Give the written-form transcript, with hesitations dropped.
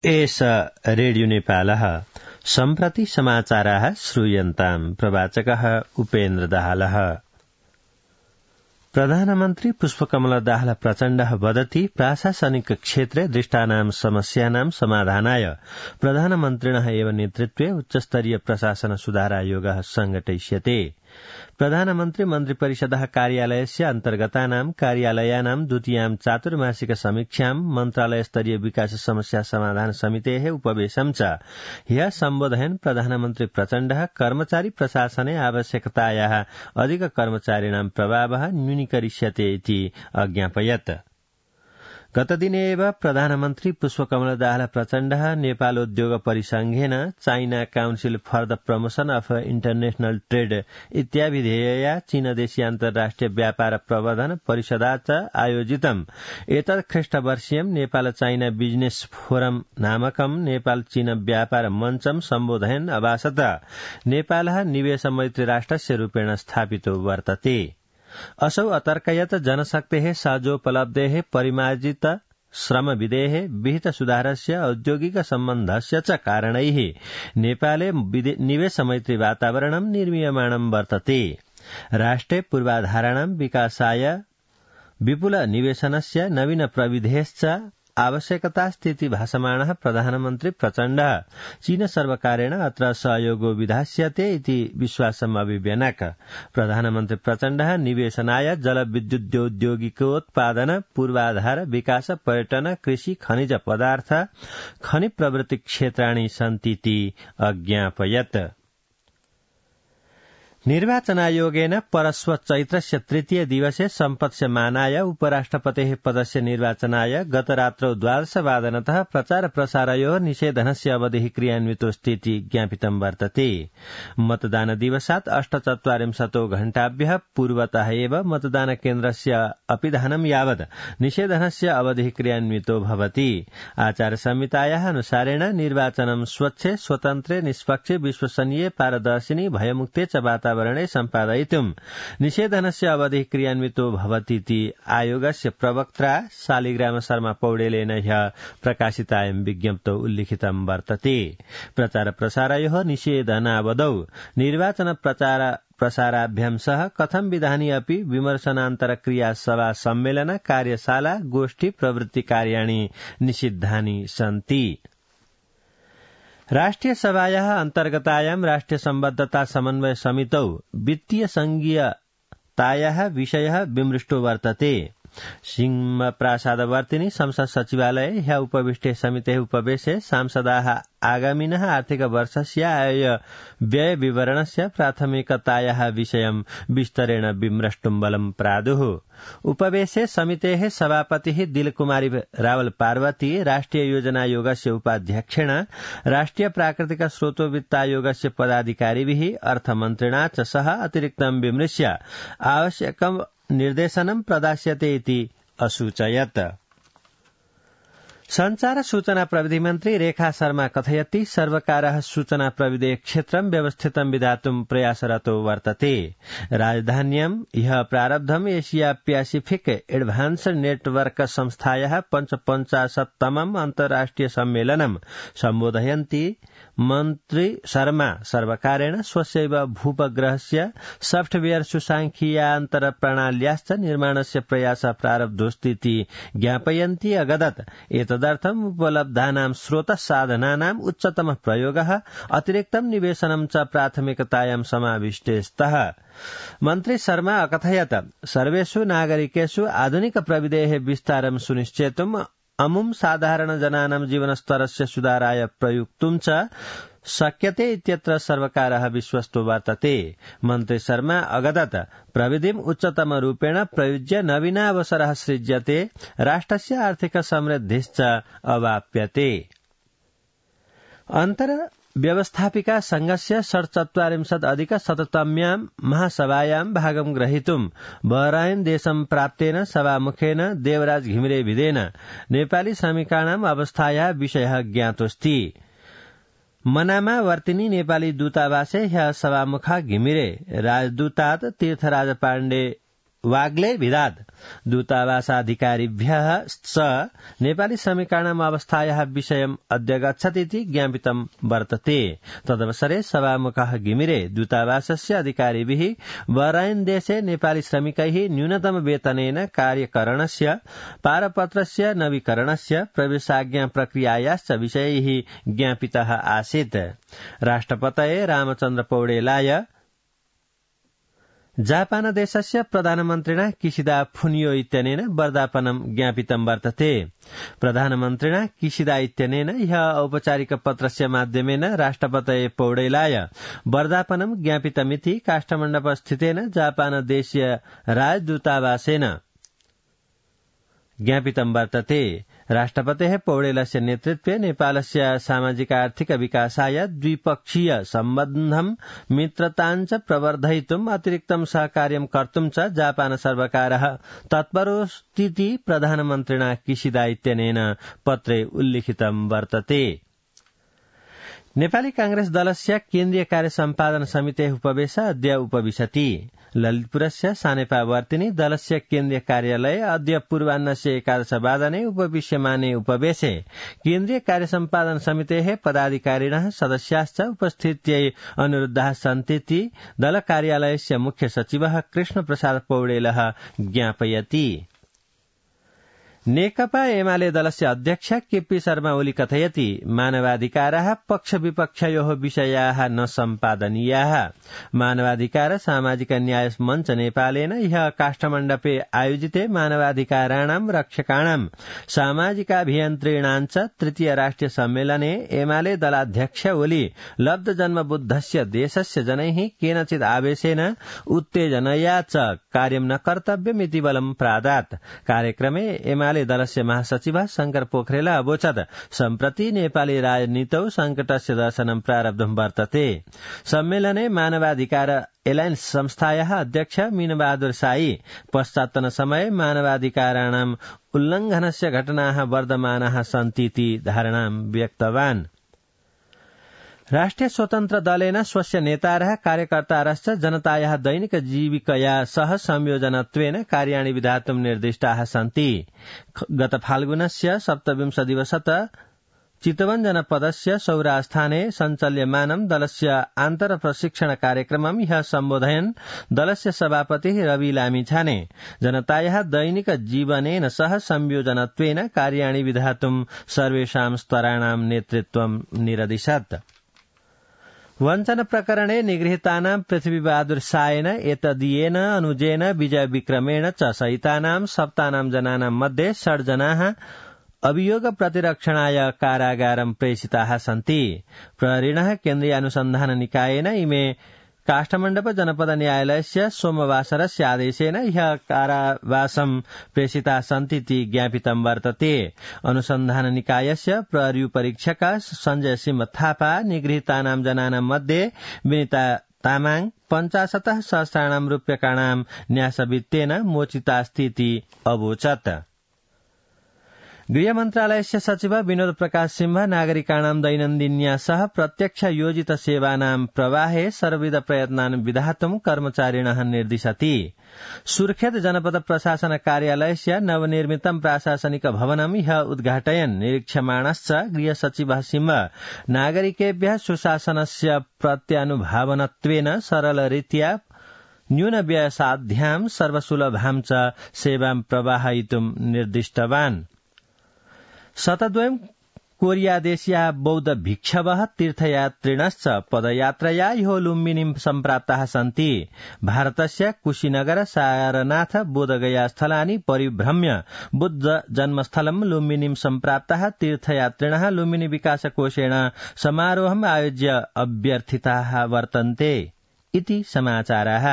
एष रेडियो नेपालः सम्प्रति समाचाराः श्रूयन्ताम्। प्रवाचकः उपेन्द्र दाहालः। प्रधानमन्त्री पुष्पकमल दाहाल प्रचण्डः वदति प्रशासनिक क्षेत्रे दृष्टानां समस्यानां समाधानाय प्रधानमन्त्रिणः एव नेतृत्वे उच्चस्तरीय प्रशासन सुधारायोगः संघटयिष्यते। प्रधानमन्त्री मन्त्रिपरिषदः कार्यालयस्य अन्तर्गतानां कार्यालयानां द्वितीयां चातुर्मासिक समीक्षां मन्त्रालयस्तरीय विकास समस्या समाधान समितेः उपवेशं च ह्यः सम्बोधयन् प्रधानमन्त्री प्रचण्डः कर्मचारी प्रशासने आवश्यकतायाः अधिक कर्मचारिणां प्रभावः न्यूनीकरिष्यते इति अज्ञापयत्। गतदिने एव प्रधानमन्त्री पुष्पकमल दाहाल प्रचण्डः नेपालोद्योग परिसंघेन China Council for the Promotion of International Trade इत्याभिधेयया चीनदेशीय अन्तर्राष्ट्रिय व्यापार प्रवर्धन परिषदा च आयोजितम् एतत् ख्रीष्टवर्षीयं नेपाल चाइना बिजनेस फोरम नामकं नेपाल चीन व्यापार मञ्चं सम्बोधयन् अभाषत नेपालः निवेश मैत्री राष्ट्रस्य रूपेण स्थापितो वर्तते। असौ अतर्कयत् जनशक्तेः सहजोपलब्धेः परिमार्जित श्रमविधेः विहित सुधारस्य औद्योगिक सम्बन्धस्य च कारणैः नेपाले निवेश मैत्री वातावरणं निर्मीयमाणं वर्तते। राष्ट्रे पूर्वाधाराणां विकासाय विपुल निवेशनस्य नवीन प्रविधेश्च आवश्यकतास्तीति भाषमाणः प्रधानमन्त्री प्रचण्डः चीन सर्वकारेण अत्र सहयोगो विधास्यते इति विश्वासम् अभिव्यनक। प्रधानमन्त्री प्रचण्डः निवेशनाय जलविद्युतौद्योगिकोत्पादन पूर्वाधार विकास पर्यटन कृषि खनिज पदार्थ खनि प्रवृत्ति क्षेत्राणि सन्तीति अज्ञापयत्। निर्वाचनायोगेन परश्व चैत्रस्य तृतीय दिवसे सम्पत्स्यमानाय उपराष्ट्रपतेः पदस्य निर्वाचनाय गतरात्रौ 12:00 प्रचार प्रसारयोः निषेधनस्य अवधिः क्रियान्वितोऽस्तीति ज्ञापितं वर्तते। मतदान दिवसात् 48 घण्टाभ्यः पूर्वतः एव मतदान केन्द्रस्य अपिधानं यावत् निषेधनस्य अवधिः क्रियान्वितो भवति। आचार संहितायाः अनुसारेण निर्वाचनं स्वच्छे स्वतन्त्रे निष्पक्षे विश्वसनीये पारदर्शिनि भयमुक्ते च वातावरणे सम्पादयितुं निषेधनस्य अवधिः क्रियान्वितो भवतीति आयोगस्य प्रवक्त्रा शालिग्राम शर्मा पौडेलेन ह्यः प्रकाशितायां विज्ञप्तौ उल्लिखितं वर्तते। प्रचार प्रसारयोः निषेधनावधौ निर्वाचन प्रसाराभ्यां सह कथं विधानि अपि विमर्शनान्तर क्रिया सभा सम्मेलन कार्यशाला गोष्ठी प्रवृत्ति कार्याणि निषिद्धानि सन्ति। राष्ट्रिय सभायाः अन्तर्गतायां राष्ट्रिय सम्बद्धता समन्वय समितौ वित्तीय संघीयतायाः विषयः विमृष्टो वर्तते। सिंहप्रासादवर्तिनि संसद सचिवालये ह्यः उपविष्टे समितेः उपवेशे सांसदाः आगामिनः आर्थिक वर्षस्य आय व्यय विवरणस्य प्राथमिकतायाः विषयं विस्तरेण विमृष्टुं बलं प्रादुः। उपवेशे समितेः सभापतिः दिलकुमारी रावल पार्वती राष्ट्रिय योजना आयोगस्य उपाध्यक्षेण राष्ट्रिय प्राकृतिक स्रोतो वित्तायोगस्य पदाधिकारिभिः अर्थमन्त्रिणा च सह अतिरिक्तं विमृश्य आवश्यकं निर्देशनं प्रदास्यते इति असूचयत्। संचार सूचना प्रविधि मन्त्री रेखा शर्मा कथयति सर्वकारः सूचना प्रविधेः क्षेत्रं व्यवस्थितं विधातुं प्रयासरतो वर्तते। राजधान्यां ह्यः प्रारब्धम् एशिया प्यासिफिक एडभान्स्ड नेटवर्क संस्थायाः 55तमम् अन्तर्राष्ट्रिय सम्मेलनं सम्बोधयन्ती मन्त्री शर्मा सर्वकारेण स्वस्यैव भूपग्रहस्य सॉफ्टवेयर सुसांख्यिकीयान्तर प्रणाल्याश्च निर्माणस्य प्रयासः प्रारब्धोऽस्तीति ज्ञापयन्ती अगदत् एतदर्थम् उपलब्धानां स्रोतसाधनानाम् उच्चतमः प्रयोगः अतिरिक्तं निवेशनं च प्राथमिकतायां समाविष्टे स्तः। मन्त्री शर्मा अकथयत् सर्वेषु नागरिकेषु आधुनिक प्रविधेः विस्तारं सुनिश्चेतुम् अमुं साधारण जनानां जीवनस्तरस्य सुधाराय प्रयुक्तुं च शक्यते इत्यत्र सर्वकारः विश्वस्तो वर्तते। मन्त्री शर्मा अगदत् प्रविधिम् उत्तमरूपेण प्रयुज्य नवीनावसरः सृज्यते राष्ट्रस्य आर्थिक समृद्धिश्च अवाप्यते। व्यवस्थापिका संघस्य 47 महासभायां भागं ग्रहीतुं बहराइन देशं प्राप्तेन सभामुखेन देवराज घिमिरे विदेन नेपाली श्रमिकाणाम् अवस्थायाः विषयः ज्ञातोऽस्ति। मनामा वर्तिनी नेपाली दूतावासे ह्यः सभामुखा घिमिरे राजदूतात् तीर्थराज पाण्डे वाग्ले भिदाद दूतावासाधिकारिभ्यः स नेपाली श्रमिकाणाम् अवस्थायाः विषयम् अद्य गच्छतीति ज्ञापितं वर्तते। तदवसरे सभामुखः घिमिरे दूतावासस्य अधिकारिभिः बहराइन देशे नेपाली श्रमिकैः न्यूनतम वेतनेन कार्यकरणस्य पारपत्रस्य नवीकरणस्य प्रवेशाज्ञा प्रक्रियायाश्च विषयैः ज्ञापितः आसीत्। राष्ट्रपतये रामचन्द्र पौडेलाय जापान देशस्य प्रधानमन्त्रिणा किशिदा फुनियो इत्यनेन वर्धापनं ज्ञापितं वर्तते। प्रधानमन्त्रिणा किशिदा इत्यनेन ह्यः औपचारिक पत्रस्य माध्यमेन राष्ट्रपतये पौडेलाय वर्धापनं ज्ञापितमिति काष्ठमण्डपस्थितेन जापान देशीय राजदूतावासेन ज्ञापितं वर्तते। राष्ट्रपतेः पौडेलस्य नेतृत्वे नेपालस्य सामाजिक आर्थिक विकासाय द्विपक्षीय सम्बन्धं मित्रताञ्च प्रवर्धयितुम् अतिरिक्तं सहकार्यं कर्तुं च जापान सर्वकारः तत्परोऽस्तीति प्रधानमन्त्रिणा किशिदा इत्यनेन पत्रे उल्लिखितं वर्तते। नेपाली कांग्रेस दलस्य केन्द्रीय कार्य सम्पादन समितेः उपवेश अद्य उपविशति। ललितपुरस्य सानेपावर्तिनि दलस्य केन्द्रीय कार्यालये अद्य पूर्वाह्नस्य 11:15 उपविश्यमाने उपवेशे केन्द्रीय कार्य सम्पादन समितेः पदाधिकारिणः सदस्याश्च उपस्थित्यै अनुरुद्धाः सन्तीति दल कार्यालयस्य मुख्य सचिवः कृष्णप्रसाद पौडेलः ज्ञापयति। नेकपा एमाले दलस्य अध्यक्ष केपी शर्मा ओली कथयति मानवाधिकाराः पक्ष विपक्षयोः विषयाः न सम्पादनीयाः। मानवाधिकार सामाजिक न्याय मञ्च नेपालेन ह्यः काष्ठमण्डपे आयोजिते मानवाधिकाराणां रक्षकाणां सामाजिकाभियन्त्रीणां च तृतीय राष्ट्रिय सम्मेलने एमाले दलाध्यक्ष ओली लब्धजन्मबुद्धस्य देशस्य जनैः केनचित् आवेशेन उत्तेजनया च कार्यं न कर्तव्यमिति बलं प्रादात्। कार्यक्रमे एमाले दलस्य महासचिवः शंकर पोखरेल अवोचत् सम्प्रति नेपाली राजनीतौ संकटस्य दर्शनं प्रारब्धं वर्तते। सम्मेलने मानवाधिकार एलायन्स संस्थायाः अध्यक्ष मीनबहादुर साई पश्चात्तन समये मानवाधिकाराणाम् उल्लङ्घनस्य घटनाः वर्धमानाः सन्तीति धारणां व्यक्तवान्। राष्ट्रिय स्वतन्त्र दलेन स्वस्य नेतारः कार्यकर्तारश्च जनतायाः दैनिक जीविकया सह संयोजनत्वेन कार्याणि विधातुं निर्दिष्टाः सन्ति। गत फाल्गुनस्य 27 दिवसत चितवन जनपदस्य सौरास्थाने सञ्चाल्यमानं दलस्य आन्तरप्रशिक्षण कार्यक्रमं ह्यः सम्बोधयन् दलस्य सभापतिः रवि लामिछाने जनतायाः दैनिक जीवनेन सह संयोजनत्वेन कार्याणि विधातुं सर्वेषां स्तराणां नेतृत्वं निरदिशत्। वञ्चन प्रकरणे निगृहीतानां पृथ्वीबहादुर सायेन एतदीयेन अनुजेन विजय विक्रमेण च सहितानां सप्तानां जनानां मध्ये 6 जनाः अभियोग प्रतिरक्षणाय कारागारं प्रेषिताः सन्ति। प्रहरिणः केन्द्रीय अनुसन्धान निकायेन इमे काष्ठमण्डप जनपद न्यायालयस्य सोमवासरस्य आदेशेन ह्यः कारावासं प्रेषिताः सन्तीति ज्ञापितं वर्तते। अनुसन्धान निकायस्य प्रहरी परीक्षक संजय सिंह थापा निगृहीतानां जनानां मध्ये विनिता तामाङ 50 सहस्राणां रूप्यकाणां न्यासवित्तेन मोचितास्तीति अवोचत्। गृह मन्त्रालयस्य सचिव विनोद प्रकाश सिंह नागरिकाणां दैनन्दिन्या सह प्रत्यक्ष योजित सेवानां प्रवाहे सर्वविध प्रयत्नान् विधातुं कर्मचारिणः निर्दिशति। सुर्खेत जनपद प्रशासन कार्यालयस्य नवनिर्मितं प्रशासनिक भवनं ह्यः उद्घाटयन् निरीक्षमाणश्च गृह सचिवः सिंह नागरिकेभ्यः सुशासनस्य प्रत्यानुभावनत्वेन सरलरीत्या न्यूनव्ययसाध्यां सर्वसुलभां च सेवां प्रवाहयितुं निर्दिष्टवान्। शतद्वयं कोरियादेशीयाः बौद्ध भिक्षवः तीर्थयात्रिणश्च पदयात्रया ह्यो लुम्बिनीं सम्प्राप्ताः सन्ति। भारतस्य कुशीनगर सारनाथ बोधगया स्थलानि परिभ्रम्य बुद्ध जन्मस्थलं लुम्बिनीं सम्प्राप्ताः तीर्थयात्रिणः लुम्बिनी विकास कोषेण समारोहम् आयोज्य अभ्यर्थिताः वर्तन्ते इति समाचाराः।